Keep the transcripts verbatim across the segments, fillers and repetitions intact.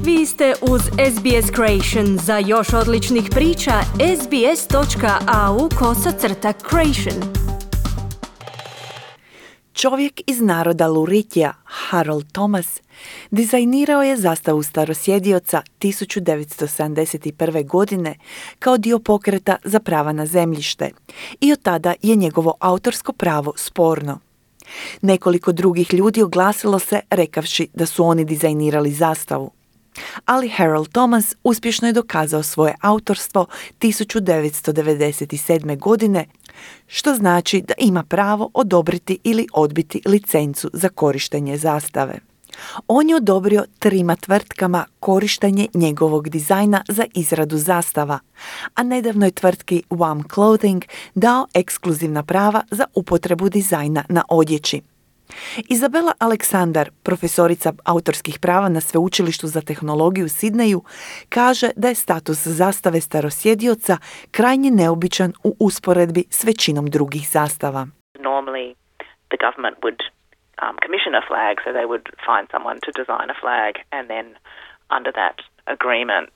Vi ste uz S B S Creation. Za još odličnih priča, sbs.au kosacrta creation. Čovjek iz naroda Luritija, Harold Thomas, dizajnirao je zastavu starosjedioca tisuću devetsto sedamdeset prve. godine kao dio pokreta za prava na zemljište i od tada je njegovo autorsko pravo sporno. Nekoliko drugih ljudi oglasilo se rekavši da su oni dizajnirali zastavu. Ali Harold Thomas uspješno je dokazao svoje autorstvo tisuću devetsto devedeset sedme. godine, što znači da ima pravo odobriti ili odbiti licencu za korištenje zastave. On je odobrio trima tvrtkama korištenje njegovog dizajna za izradu zastava, a nedavno je tvrtki Wham Clothing dao ekskluzivna prava za upotrebu dizajna na odjeći. Izabela Aleksandar, profesorica autorskih prava na Sveučilištu za tehnologiju u Sidneju, kaže da je status zastave starosjedioca krajnje neobičan u usporedbi s većinom drugih zastava. Normally the government would um, commission a flag, so they would find someone to design a flag, and then under that agreement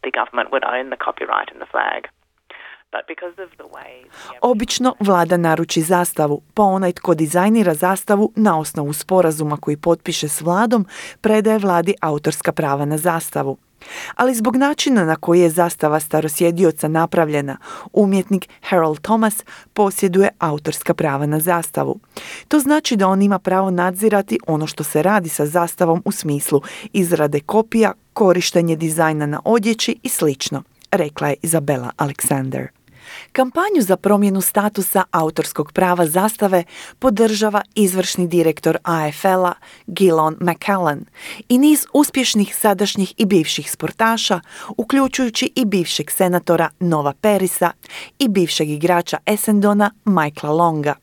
the government would own the copyright in the flag. Obično vlada naruči zastavu, pa onaj tko dizajnira zastavu na osnovu sporazuma koji potpiše s vladom, predaje vladi autorska prava na zastavu. Ali zbog načina na koji je zastava starosjedioca napravljena, umjetnik Harold Thomas posjeduje autorska prava na zastavu. To znači da on ima pravo nadzirati ono što se radi sa zastavom u smislu izrade kopija, korištenje dizajna na odjeći i slično, rekla je Izabela Aleksandar. Kampanju za promjenu statusa autorskog prava zastave podržava izvršni direktor A F L-a Gillon McCallan i niz uspješnih sadašnjih i bivših sportaša, uključujući i bivšeg senatora Nova Perisa i bivšeg igrača Essendona Michaela Longa.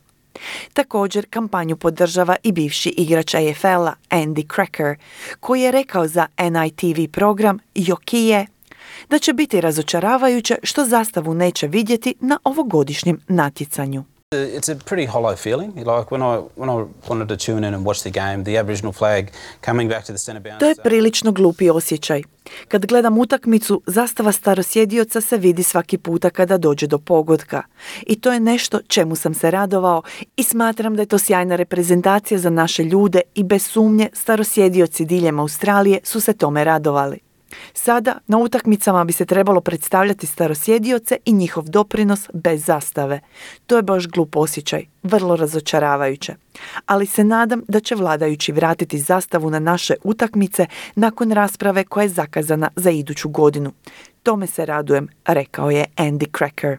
Također kampanju podržava i bivši igrač A F L-a Andy Cracker, koji je rekao za N I T V program Jokije da će biti razočaravajuće što zastavu neće vidjeti na ovogodišnjem natjecanju. It's a pretty hollow feeling. Like when I when I wanted to tune in and watch the game, the Aboriginal flag coming back to the center bounce. To je prilično glupi osjećaj. Kad gledam utakmicu, zastava starosjedioca se vidi svaki puta kada dođe do pogotka. I to je nešto čemu sam se radovao i smatram da je to sjajna reprezentacija za naše ljude i bez sumnje starosjedioci diljem Australije su se tome radovali. Sada na utakmicama bi se trebalo predstavljati starosjedioce i njihov doprinos bez zastave. To je baš glup osjećaj, vrlo razočaravajuće. Ali se nadam da će vladajući vratiti zastavu na naše utakmice nakon rasprave koja je zakazana za iduću godinu. Tome se radujem, rekao je Andy Cracker.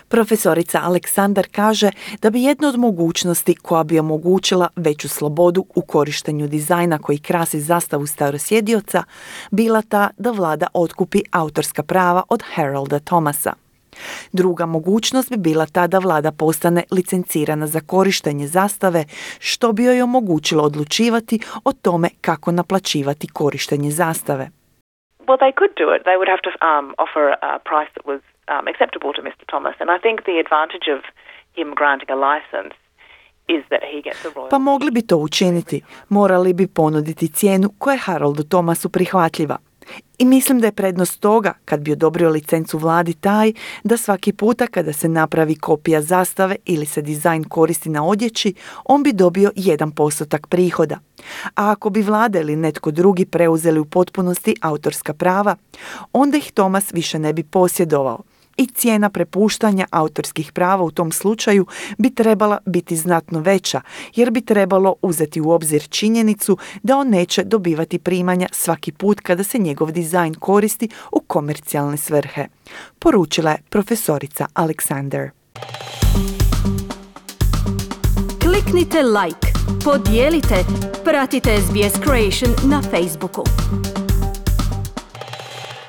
Profesorica Aleksandar kaže da bi jedna od mogućnosti koja bi omogućila veću slobodu u korištenju dizajna koji krasi zastavu starosjedioca bila ta da vlada otkupi autorska prava od Harolda Thomasa. Druga mogućnost bi bila ta da vlada postane licencirana za korištenje zastave, što bi joj omogućilo odlučivati o tome kako naplaćivati korištenje zastave. Well, they could do it. They would have to um, offer a price that was um, acceptable to mister Thomas. And I think the advantage of him granting a license is that he gets a royalty. Pa mogli bi to učiniti. Morali bi ponuditi cijenu koja je Haroldu Thomasu prihvatljiva. I mislim da je prednost toga, kad bi odobrio licencu vladi, taj da svaki puta kada se napravi kopija zastave ili se dizajn koristi na odjeći, on bi dobio jedan postotak prihoda. A ako bi vlada ili netko drugi preuzeli u potpunosti autorska prava, onda ih Thomas više ne bi posjedovao. I cijena prepuštanja autorskih prava u tom slučaju bi trebala biti znatno veća, jer bi trebalo uzeti u obzir činjenicu da on neće dobivati primanja svaki put kada se njegov dizajn koristi u komercijalne svrhe, poručila je profesorica Aleksandar. Kliknite like, podijelite, pratite S B S Creation na Facebooku.